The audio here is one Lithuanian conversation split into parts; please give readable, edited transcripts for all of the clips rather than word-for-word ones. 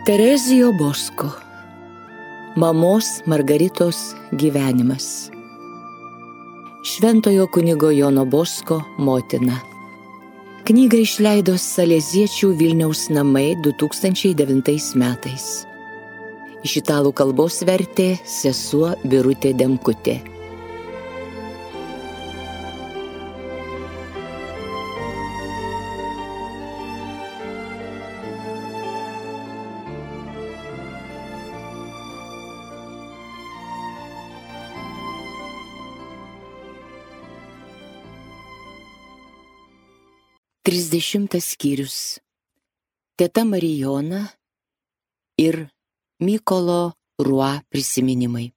Terezijo Bosko. Mamos Margaritos gyvenimas. Šventojo kunigo Jono Bosko motina. Knygą išleido Saleziečių Vilniaus namai 2009 metais. Iš italų kalbos vertė sesuo Birutė Demkutė. Trisdešimtas skyrius. Teta Marijona ir Mykolo Rua prisiminimai.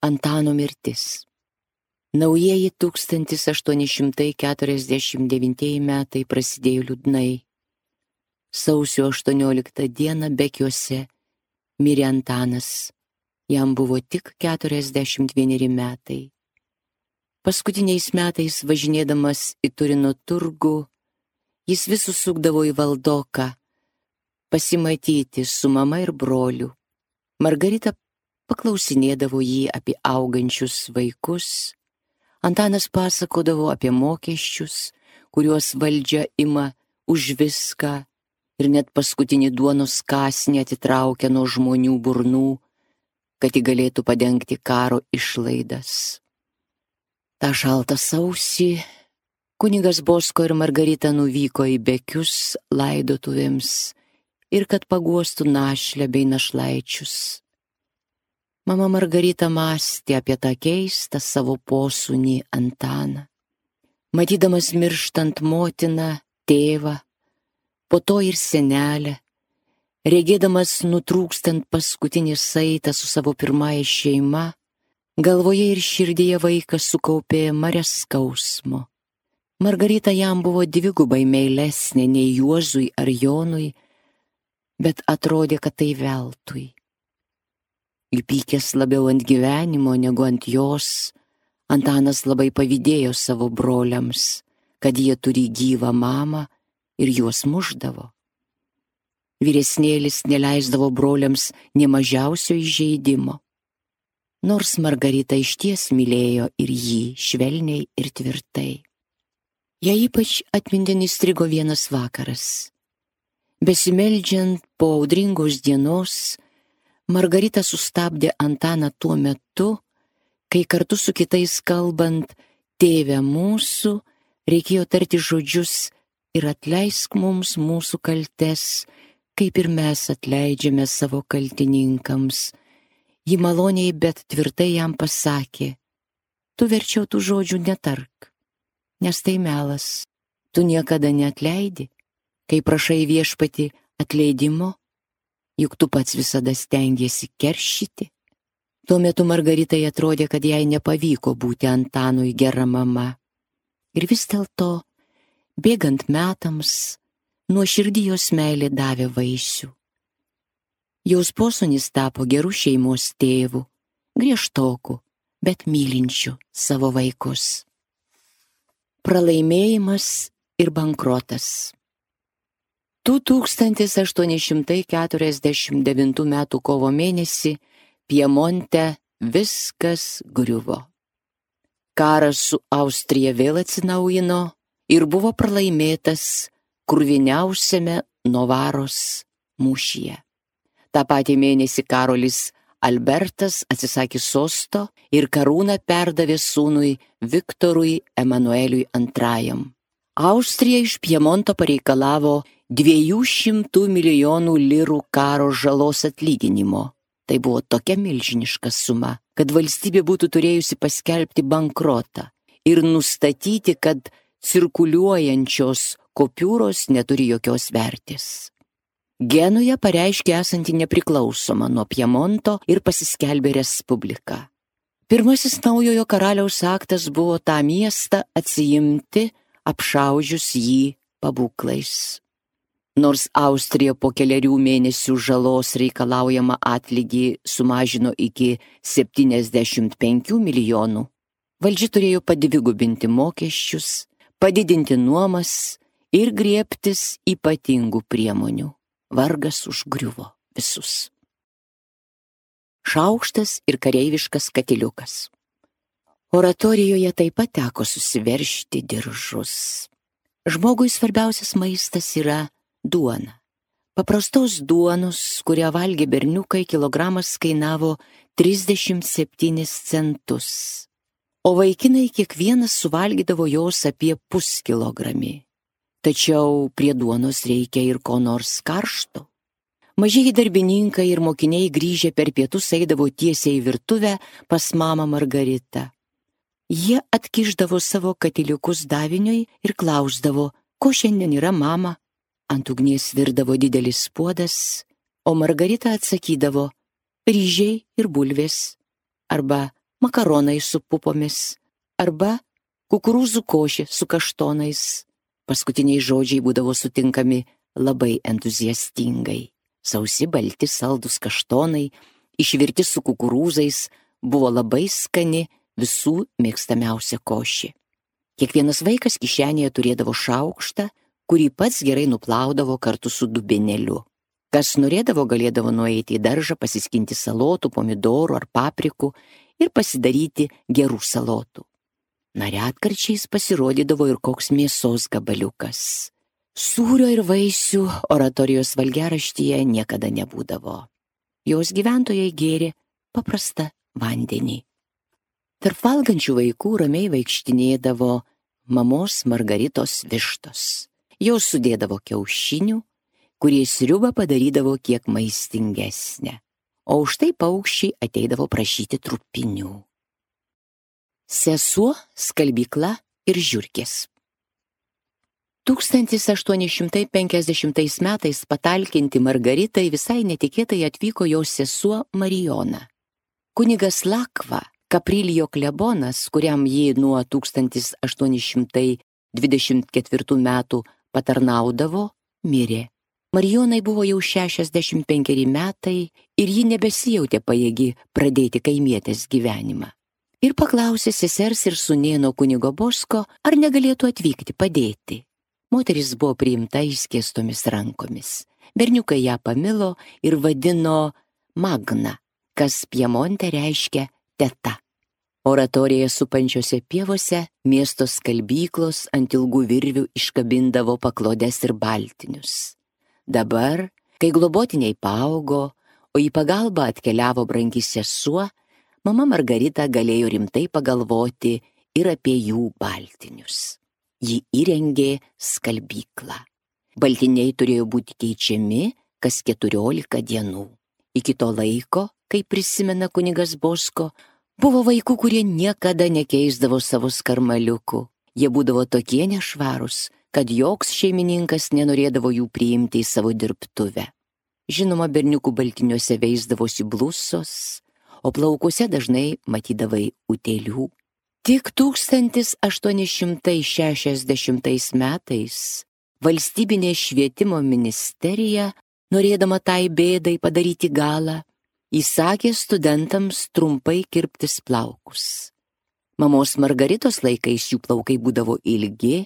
Antano mirtis. Naujieji 1849 metai prasidėjo liūdnai. Sausio 18 dieną Bekiuose mirė Antanas. Jam buvo tik 41 metai. Paskutiniais metais važinėdamas į Turino turgų, jis vis susukdavo į Valdoką, pasimatyti su mama ir broliu. Margarita paklausinėdavo jį apie augančius vaikus. Antanas pasakodavo apie mokesčius, kuriuos valdžia ima už viską ir net paskutinį duonos kąsnį atitraukia nuo žmonių burnų, kad ji galėtų padengti karo išlaidas. Ta šaltą sausį kunigas Bosko ir Margarita nuvyko į Bekius laidotuvėms ir kad paguostų našlę bei našlaičius. Mama Margarita mąstė apie tą keistą savo posūnį Antaną. Matydamas mirštant motiną, tėvą, po to ir senelę, regėdamas nutrūkstant paskutinį saitą su savo pirmąja šeima, galvoje ir širdyje vaikas sukaupė marias skausmo. Margarita jam buvo dvigubai meilesnė nei Juozui ar Jonui, bet atrodė, kad tai veltui. Įpykęs labiau ant gyvenimo negu ant jos, Antanas labai pavydėjo savo broliams, kad jie turi gyvą mamą ir juos mušdavo. Vyresnėlis neleisdavo broliams nė mažiausio įžeidimo. Nors Margarita išties mylėjo ir jį švelniai ir tvirtai. Jai ypač atmintin įstrigo vienas vakaras. Besimeldžiant po audringos dienos, Margarita sustabdė Antaną tuo metu, kai kartu su kitais kalbant Tėve mūsų, reikėjo tarti žodžius ir atleisk mums mūsų kaltes, kaip ir mes atleidžiame savo kaltininkams. Ji maloniai, bet tvirtai jam pasakė, tu verčiau tų žodžių netark, nes tai melas. Tu niekada neatleidi, kai prašai viešpatį atleidimo, juk tu pats visada stengiesi keršyti. Tuo metu Margaritai atrodė, kad jai nepavyko būti Antanui gera mama. Ir vis dėlto, bėgant metams, nuoširdį jos meilė davė vaisių. Jos posūnis tapo gerų šeimos tėvų, griežtokų, bet mylinčių savo vaikus. Pralaimėjimas ir bankrotas. 1849 m. kovo mėnesį Piemonte viskas griuvo. Karas su Austrija vėl atsinaujino ir buvo pralaimėtas kruviniausiame Novaros mūšyje. Ta patį mėnesį Karolis Albertas atsisakė sosto ir karūną perdavė sūnui Viktorui Emanueliui II. Austrija iš Piemonto pareikalavo 200 milijonų lirų karo žalos atlyginimo. Tai buvo tokia milžiniška suma, kad valstybė būtų turėjusi paskelbti bankrotą ir nustatyti, kad cirkuliuojančios kupiūros neturi jokios vertės. Genuja pareiškė esanti nepriklausoma nuo Piemonto ir pasiskelbė respubliką. Pirmasis naujojo karaliaus aktas buvo tą miestą atsiimti, apšaužius jį pabūklais. Nors Austrija po kelerių mėnesių žalos reikalaujamą atlygį sumažino iki 75 milijonų, Valdžia turėjo padvigubinti mokesčius, padidinti nuomas ir griebtis ypatingų priemonių. Vargas užgriuvo visus. Šaukštas ir kareiviškas katiliukas. Oratorijoje taip pat teko susiveržti diržus. Žmogui svarbiausias maistas yra duona. Paprastos duonos, kurią valgė berniukai, kilogramas kainavo 37 centus. O vaikinai kiekvienas suvalgydavo jos apie puskilogramį. Tačiau prie duonos reikia ir ko nors karšto. Mažieji darbininkai ir mokiniai grįžę per pietus eidavo tiesiai į virtuvę pas mamą Margaritą. Jie atkišdavo savo katiliukus daviniui ir klausdavo, ko šiandien yra mama. Ant ugnies virdavo didelis puodas, o Margarita atsakydavo ryžiai ir bulvės, arba makaronai su pupomis, arba kukurūzų košė su kaštonais. Paskutiniai žodžiai būdavo sutinkami labai entuziastingai. Sausi, balti, saldus kaštonai, išvirti su kukurūzais, buvo labai skani, visų mėgstamiausia košė. Kiekvienas vaikas kišenėje turėdavo šaukštą, kurį pats gerai nuplaudavo kartu su dubenėliu. Kas norėdavo, galėdavo nueiti į daržą, pasiskinti salotų, pomidorų ar paprikų ir pasidaryti gerų salotų. Retkarčiais pasirodydavo ir koks mėsos gabaliukas. Sūrio ir vaisių oratorijos valgiaraštyje niekada nebūdavo. Jos gyventojai gėrė paprastą vandenį. Tarp valgančių vaikų ramiai vaikštinėdavo mamos Margaritos vištos. Jos sudėdavo kiaušinių, kurie sriubą padarydavo kiek maistingesnę, o už tai paukščiai ateidavo prašyti trupinių. Sesuo, skalbykla ir žiurkės. 1850 metais patalkinti Margaritai visai netikėtai atvyko jos sesuo Marijona. Kunigas Lakva, Kaprilijo klebonas, kuriam ji nuo 1824 metų patarnaudavo, mirė. Marijonai buvo jau 65 metai ir ji nebesijautė pajėgi pradėti kaimietės gyvenimą. Ir paklausė sesers ir sūnėno kunigo Bosko, ar negalėtų atvykti padėti. Moteris buvo priimta išskėstomis rankomis. Berniukai ją pamilo ir vadino Magna, kas Piemonte reiškia teta. Oratorijoje supančiose pievose miesto skalbyklos ant ilgų virvių iškabindavo paklodes ir baltinius. Dabar, kai globotiniai paaugo, o į pagalbą atkeliavo brangi sesuo, mama Margarita galėjo rimtai pagalvoti ir apie jų baltinius. Ji įrengė skalbyklą. Baltiniai turėjo būti keičiami kas 14 dienų. Iki to laiko, kaip prisimena kunigas Bosko, buvo vaikų, kurie niekada nekeisdavo savo skarmaliukų. Jie būdavo tokie nešvarūs, kad joks šeimininkas nenorėdavo jų priimti į savo dirbtuvę. Žinoma, berniukų baltiniuose veisdavosi blusos, o plaukuose dažnai matydavai utėlių. Tik 1860 metais valstybinė švietimo ministerija, norėdama tai bėdai padaryti galą, įsakė studentams trumpai kirptis plaukus. Mamos Margaritos laikais jų plaukai būdavo ilgi,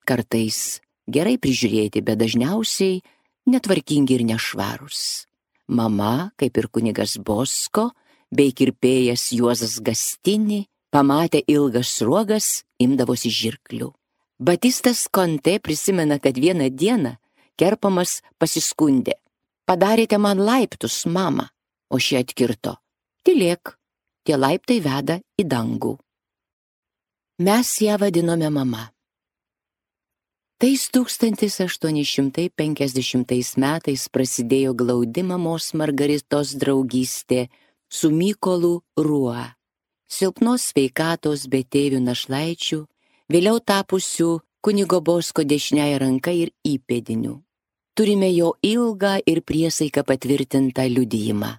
kartais gerai prižiūrėti, bet dažniausiai netvarkingi ir nešvarūs. Mama, kaip ir kunigas Bosko, bei kirpėjas Juozas Gastini, pamatę ilgas sruogas, imdavosi žirklių. Batistas Konte prisimena, kad vieną dieną kerpamas pasiskundė: padarėte man laiptus, mama, o ši atkirto: tylėk, tie laiptai veda į dangų. Mes ją vadinome mama. Tais 1850 metais prasidėjo glaudi mamos Margaritos draugystė su Mykolu Ruo, silpnos sveikatos betėvių našlaičių, vėliau tapusių kunigo Bosko dešiniąja ranka ir įpėdiniu. Turime jo ilgą ir priesaiką patvirtintą liudijimą.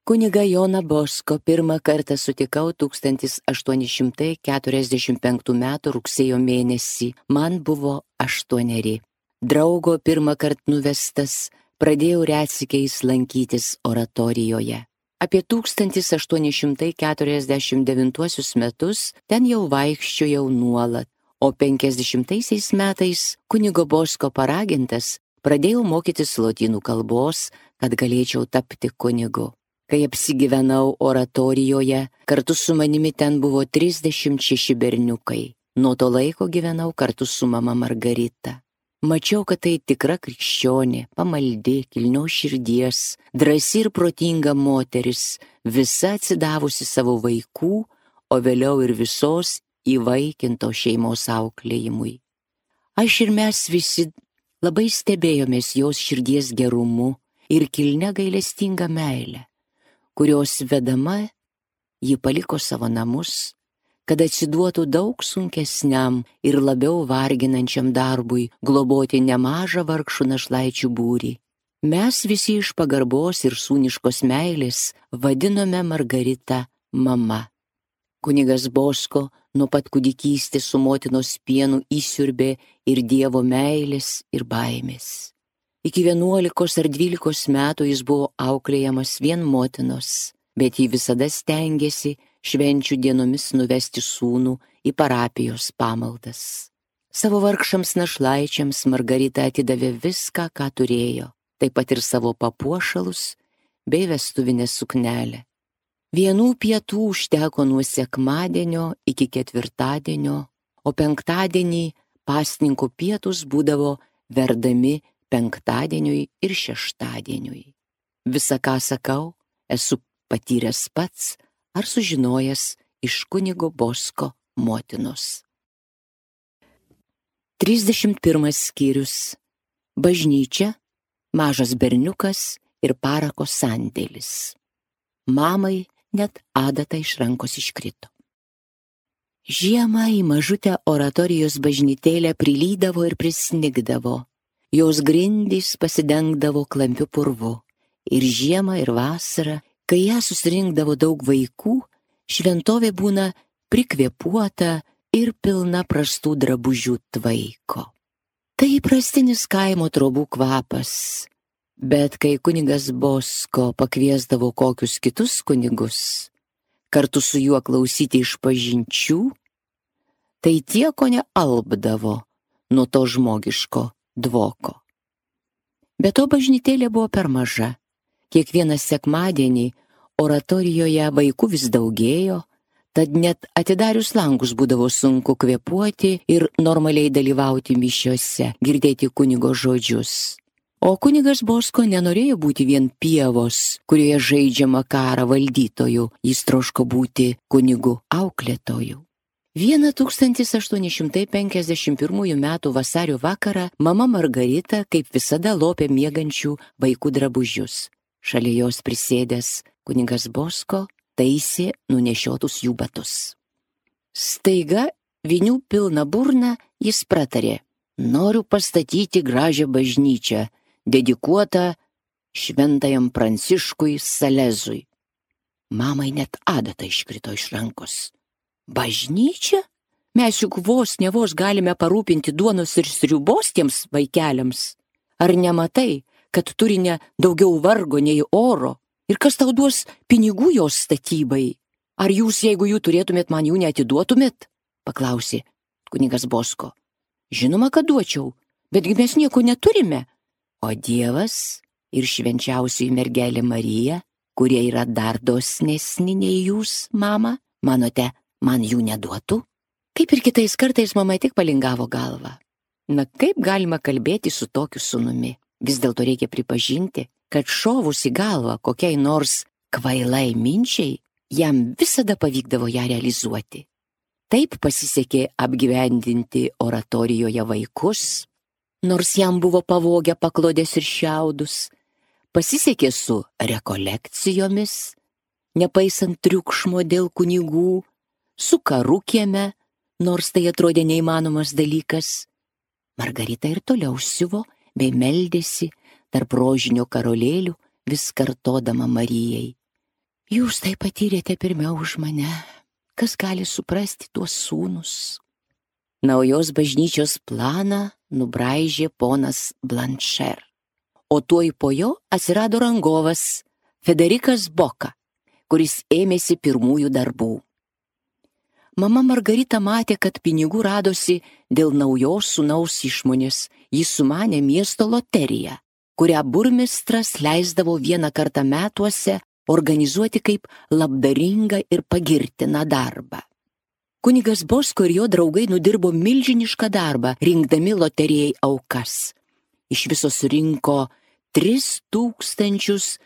Kunigą Joną Bosko pirmą kartą sutikau 1845 metų rugsėjo mėnesį, man buvo 8. Draugo pirmą kartą nuvestas, pradėjau retsykiais lankytis oratorijoje. Apie 1849 metus ten jau vaikščiojau nuolat, o 50 metais kunigo Bosko paragintas pradėjau mokytis lotynų kalbos, kad galėčiau tapti kunigu. Kai apsigyvenau oratorijoje, kartu su manimi ten buvo 36 berniukai. Nuo to laiko gyvenau kartu su mama Margarita. Mačiau, kad tai tikra krikščionė, pamaldi, kilnios širdies, drąsi ir protinga moteris, visa atsidavusi savo vaikų, o vėliau ir visos įvaikinto šeimos auklėjimui. Aš ir mes visi labai stebėjomės jos širdies gerumu ir kilnia gailestinga meile, kurios vedama ji paliko savo namus, kad atsiduotų daug sunkesniam ir labiau varginančiam darbui globoti nemažą vargšų našlaičių būrį. Mes visi iš pagarbos ir sūniškos meilės vadinome Margaritą mama. Kunigas Bosko nuo pat kūdikystės su motinos pienu įsiurbė ir Dievo meilės ir baimės. Iki 11 ar 12 metų jis buvo auklėjamas vien motinos, bet ji visada stengėsi švenčių dienomis nuvesti sūnų į parapijos pamaldas. Savo vargšams našlaičiams Margarita atidavė viską, ką turėjo, taip pat ir savo papuošalus bei vestuvinę suknelę. Vienų pietų užteko nuo sekmadienio iki ketvirtadienio, o penktadienį pasninko pietus būdavo verdami penktadieniui ir šeštadieniui. Visa, ką sakau, esu patyręs pats ar sužinojęs iš kunigo Bosko motinos. 31 skyrius. Bažnyčia, mažas berniukas ir parako sandėlis. Mamai net adata iš rankos iškrito. Žiemą į mažutę oratorijos bažnytėlę prilydavo ir prisnigdavo. Jos grindys pasidengdavo klampiu purvu. Ir žiemą, ir vasarą, kai ją susirinkdavo daug vaikų, šventovė būna prikvėpuota ir pilna prastų drabužių tvaiko. Tai įprastinis kaimo trobų kvapas, bet kai kunigas Bosko pakviesdavo kokius kitus kunigus, kartu su juo klausyti išpažinčių, tai tie kone alpdavo nuo to žmogiško dvoko. Be to bažnytėlė buvo per maža. Kiekvieną sekmadienį oratorijoje vaikų vis daugėjo, tad net atidarius langus būdavo sunku kvėpuoti ir normaliai dalyvauti mišiose, girdėti kunigo žodžius. O kunigas Bosko nenorėjo būti vien pievos, kurioje žaidžiama karą valdytojų, jis troško būti kunigu auklėtoju. 1851 metų vasario vakarą mama Margarita kaip visada lopė miegančių vaikų drabužius. Šalia jos prisėdęs kunigas Bosko taisė nunešiotus jų batus. Staiga, vinių pilna burna, jis pratarė: noriu pastatyti gražią bažnyčią, dedikuotą šventajam Pranciškui Salezui. Mamai net adata iškrito iš rankos. Bažnyčia? Mes juk vos ne vos galime parūpinti duonos ir sriubos tiems vaikeliams. Ar nematai, kad turi ne daugiau vargo nei oro? Ir kas tau duos pinigų jos statybai? Ar jūs, jeigu jų turėtumėt, man jų neatiduotumėt? Paklausė kunigas Bosko. Žinoma, kad duočiau, betgi mes nieko neturime. O Dievas ir švenčiausioji mergelė Marija, kurie yra dar dosnesni nei jūs, mama, manote, man jų neduotų? Kaip ir kitais kartais mama tik palingavo galvą. Na kaip galima kalbėti su tokiu sūnumi? Vis dėlto reikia pripažinti, kad šovus į galvą kokiai nors kvailai minčiai, jam visada pavykdavo ją realizuoti. Taip pasisekė apgyvendinti oratorijoje vaikus, nors jam buvo pavogę paklodės ir šiaudus, pasisekė su rekolekcijomis, nepaisant triukšmo dėl kunigų, su karu kieme, nors tai atrodė neįmanomas dalykas. Margarita ir toliau siuvo bei meldėsi tarp rožinio karolėlių, vis kartodama Marijai: jūs tai patyrėte pirmiau už mane, kas gali suprasti tuos sūnus? Naujos bažnyčios planą nubraižė ponas Blanšer, o tuoj po jo atsirado rangovas Federikas Boka. kuris ėmėsi pirmųjų darbų. Mama Margarita matė, kad pinigų radosi dėl naujos sūnaus išmonės. Jis sumanė miesto loteriją, kurią burmistras leisdavo vieną kartą metuose organizuoti kaip labdaringą ir pagirtiną darbą. Kunigas Bosko ir jo draugai nudirbo milžinišką darbą, rinkdami loterijai aukas. Iš viso surinko 3300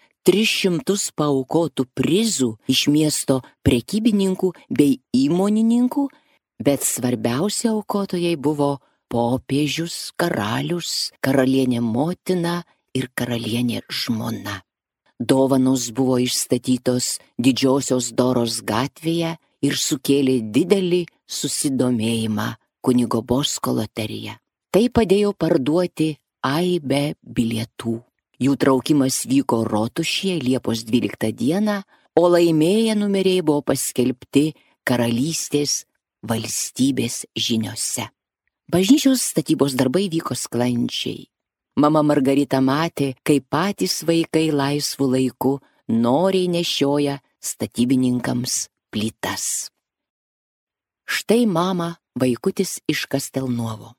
paaukotų prizų iš miesto prekybininkų bei įmonininkų, bet svarbiausi aukotojai buvo popiežius, karalius, karalienė motina ir karalienė žmona. Dovanos buvo išstatytos Didžiosios Doros gatvėje ir sukėlė didelį susidomėjimą kunigo Bosko loterija. Tai padėjo parduoti aibę bilietų. Jų traukimas vyko Rotušėje Liepos 12 dieną, o laimėję numeriai buvo paskelbti karalystės valstybės žiniose. Bažnyčios statybos darbai vyko sklandžiai. Mama Margarita matė, kaip patys vaikai laisvų laikų noriai nešioja statybininkams plytas. Štai mama vaikutis iš Kastelnuovo.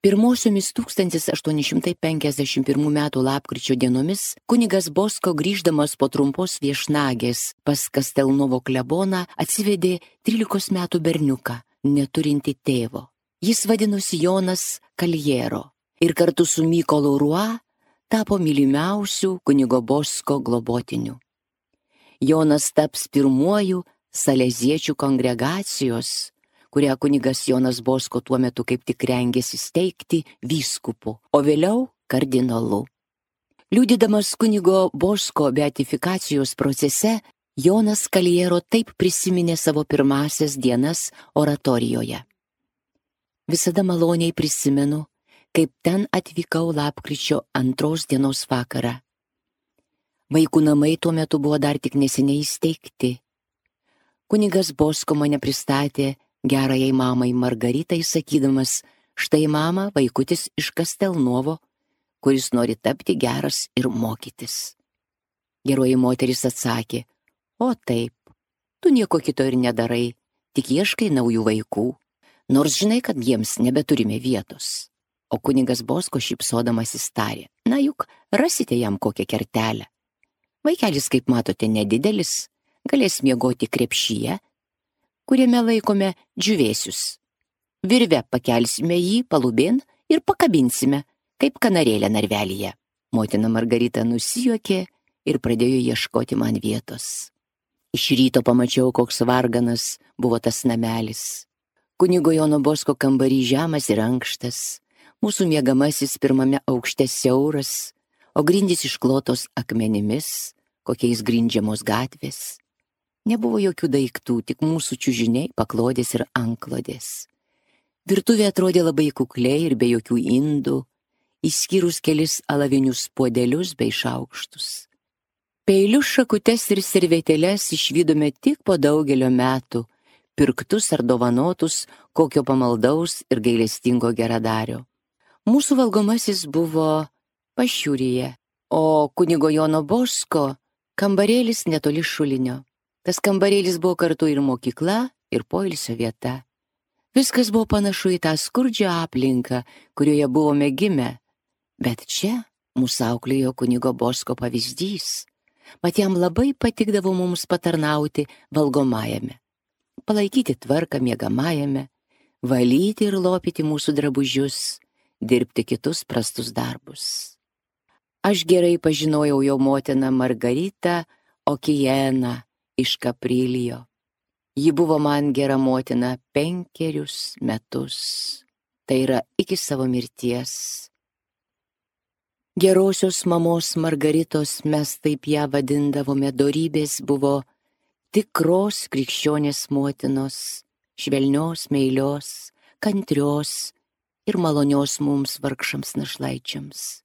Pirmosiomis 1851 metų lapkričio dienomis kunigas Bosko, grįždamas po trumpos viešnagės pas Kastelnuovo kleboną, atsivedė 13 metų berniuką, neturintį tėvo. Jis vadinosi Jonas Kaljero ir kartu su Mykolu Rua tapo mylimiausių kunigo Bosko globotiniu. Jonas taps pirmuoju saleziečių kongregacijos, kurią kunigas Jonas Bosko tuo metu kaip tik rengėsi steigti, vyskupu, o vėliau kardinolu. Liudydamas kunigo Bosko beatifikacijos procese, Jonas Kaljero taip prisiminė savo pirmasias dienas oratorijoje. Visada maloniai prisimenu, kaip ten atvykau lapkričio 2 dienos vakarą. Vaikų namai tuo metu buvo dar tik neseniai įsteigti. Kunigas Bosko mane pristatė gerajai mamai Margaritai, sakydamas: štai mama, vaikutis iš Kastelnuovo, kuris nori tapti geras ir mokytis. Geroji moteris atsakė: o taip, tu nieko kito ir nedarai, tik ieškai naujų vaikų, nors žinai, kad jiems nebeturime vietos. O kunigas Bosko šypsodamasis tarė: na juk rasite jam kokią kertelę. Vaikelis, kaip matote, nedidelis, galės miegoti krepšyje, kuriame laikome džiūvėsius. Virve pakelsime jį palubėn ir pakabinsime, kaip kanarėlę narvelyje. Motina Margarita nusijuokė ir pradėjo ieškoti man vietos. Iš ryto pamačiau, koks varganas buvo tas namelis. Kunigo Jono Bosko kambarys žemas ir ankštas, mūsų miegamasis pirmame aukšte siauras, o grindys išklotos akmenimis, kokiais grindžiamos gatvės. Nebuvo jokių daiktų, tik mūsų čiužiniai, paklodės ir antklodės. Virtuvė atrodė labai kukliai ir be jokių indų, išskyrus kelis alavinius puodelius bei šaukštus. Peilius, šakutes ir servetėles išvydome tik po daugelio metų, pirktus ar dovanotus kokio pamaldaus ir gailestingo geradario. Mūsų valgomasis buvo pašiūryje, o kunigo Jono Bosko kambarėlis netoli šulinio. Tas kambarėlis buvo kartu ir mokykla, ir poilsio vieta. Viskas buvo panašu į tą skurdžią aplinką, kurioje buvome gimę, bet čia mūsų auklėjo kunigo Bosko pavyzdys. Mat jam labai patikdavo mums patarnauti valgomajame, palaikyti tvarką miegamajame, valyti ir lopyti mūsų drabužius, dirbti kitus prastus darbus. Aš gerai pažinojau jo motiną Margaritą Okijeną iš Kaprilijo. Ji buvo man gera motina 5 metus, tai yra iki savo mirties. Gerosios mamos Margaritos, mes taip ją vadindavome, dorybės buvo tikros krikščionės motinos, švelnios, meilios, kantrios ir malonios mums vargšams našlaičiams.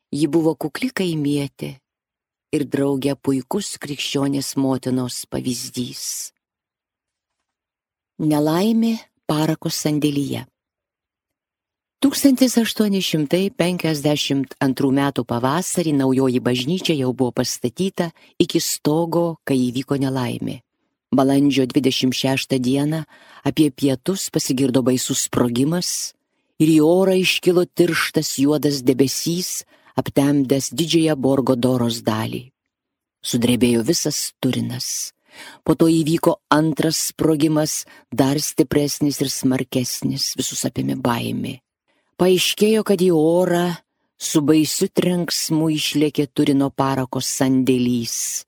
Ji buvo kukli kaimietė ir draugė puikus krikščionės motinos pavyzdys. Nelaimė parako sandėlyje. 1852 metų pavasarį naujoji bažnyčia jau buvo pastatyta iki stogo, kai įvyko nelaimė. Balandžio 26 dieną apie pietus pasigirdo baisus sprogimas ir į orą iškilo tirštas juodas debesys, aptemdęs didžiąją Borgo Doros dalį. Sudrebėjo visas Turinas. Po to įvyko antras sprogimas, dar stipresnis ir smarkesnis, visus apėmė baimė. Paaiškėjo, kad į orą su baisiu trenksmu išlėkė Turino parako sandėlys,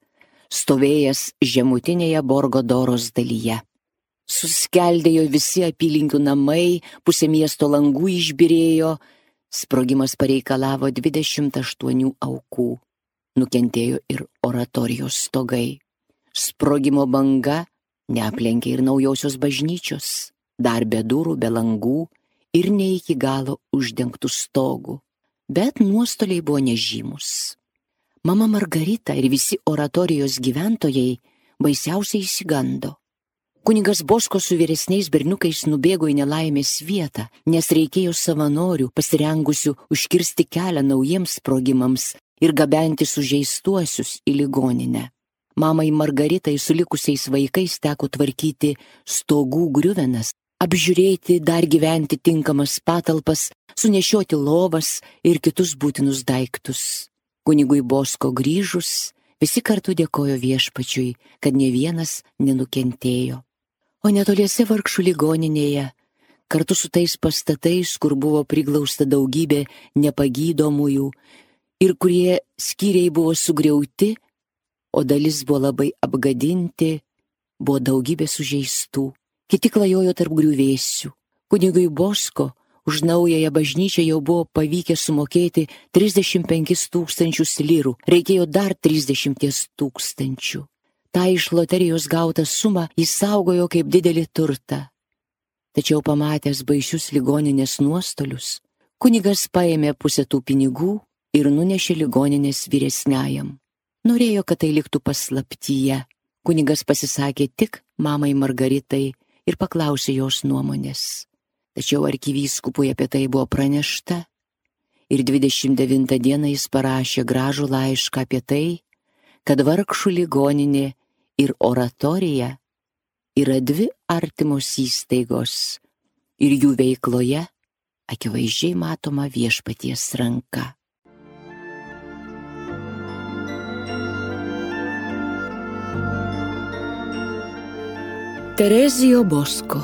stovėjęs žemutinėje Borgo Doros dalyje. Suskeldėjo visi apylinkių namai, pusė miesto langų išbyrėjo, sprogimas pareikalavo 28 aukų. Nukentėjo ir oratorijos stogai. Sprogimo banga neaplenkė ir naujosios bažnyčios, dar be durų, be langų ir ne iki galo uždengtų stogų, bet nuostoliai buvo nežymus. Mama Margarita ir visi oratorijos gyventojai baisiausiai išsigando. Kunigas Bosko su vyresniais berniukais nubėgo į nelaimės vietą, nes reikėjo savanorių pasirengusių užkirsti kelią naujiems sprogimams ir gabenti sužeistuosius į ligoninę. Mamai Margaritai su likusiais vaikais teko tvarkyti stogų griuvenas, apžiūrėti dar gyventi tinkamas patalpas, sunešioti lovas ir kitus būtinus daiktus. Kunigui Bosko grįžus, visi kartu dėkojo viešpačiui, kad ne vienas nenukentėjo. O netoliese vargšų ligoninėje, kartu su tais pastatais, kur buvo priglausta daugybė nepagydomųjų ir kurie skyriai buvo sugriauti, o dalis buvo labai apgadinti, buvo daugybė sužeistų. Kiti klajojo tarp griuvėsių. Kunigui Bosko už naująją bažnyčią jau buvo pavykę sumokėti 35 000 lyrų, reikėjo dar 30 000. Ta iš loterijos gautą sumą jis saugojo kaip didelį turtą. Tačiau pamatęs baisius ligoninės nuostolius, kunigas paėmė pusę tų pinigų ir nunešė ligoninės vyresniajam. Norėjo, kad tai liktų paslaptyje. Kunigas pasisakė tik mamai Margaritai ir paklausė jos nuomonės. Tačiau arkivyskupui apie tai buvo pranešta ir 29 dieną jis parašė gražų laišką apie tai, kad vargšų ligoninė ir oratorija yra dvi artimos įstaigos ir jų veikloje akivaizdžiai matoma viešpaties ranka. Terezijo Bosko,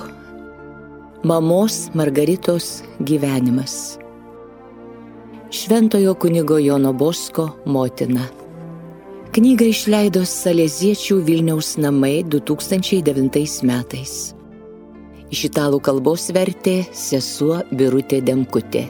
mamos Margaritos gyvenimas. Šventojo kunigo Jono Bosko motina. Knygą išleido Saleziečių Vilniaus namai 2009 metais. Iš italų kalbos vertė sesuo Birutė Demkutė.